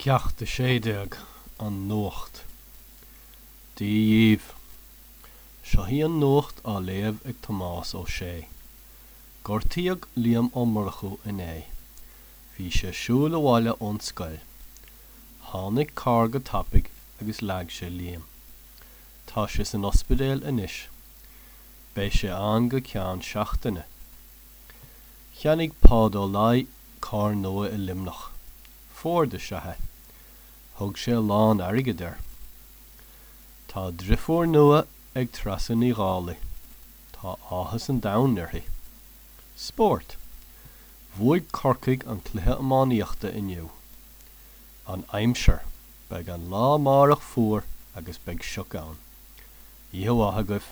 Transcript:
Ceacht 16, An Nuacht. Dia dhíbh. Seo í an nuacht á léamh ag Tomás Ó Sé. Gortaíodh Liam Ó Murchú inné. Bhí sé ag siúl abhaile ón scoil. Tháinig carr go tapaidh agus leag sé Liam. Tá sé san ospidéal anois. Beidh sé ann go ceann seachtaine. Cheannaigh Páid Ó Laoi carr nua i Luimneach. Ford is ea é. Thug sé a lán airgid air. Tá driofúr nua ag Treasa Ní Dhálaigh. Tá áthas an domhain uirthi. Spórt. Bhuaigh Corcaigh an cluiche iománaíochta inniu. An aimsir. Beidh an lá amárach fuar agus beidh sioc ann. Oíche mhaith agaibh.